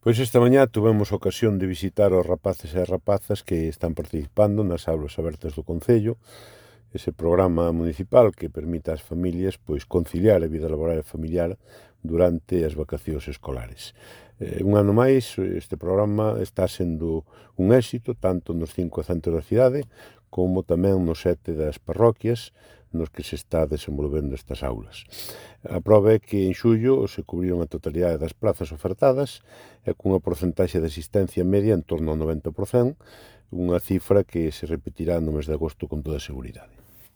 Pois esta mañá tuvemos ocasión de visitar os rapaces e rapazas que están participando nas aulas abertas do Concello, ese programa municipal que permite ás familias conciliar a vida laboral e familiar durante as vacacións escolares. Un ano máis, este programa está sendo un éxito tanto nos 5 centros da cidade como tamén nos 7 das parroquias nos que se está desenvolvendo estas aulas. A proba é que en xullo se cubriron a totalidade das plazas ofertadas e cunha porcentaxe de asistencia media en torno ao 90%, unha cifra que se repetirá no mes de agosto con toda seguridade.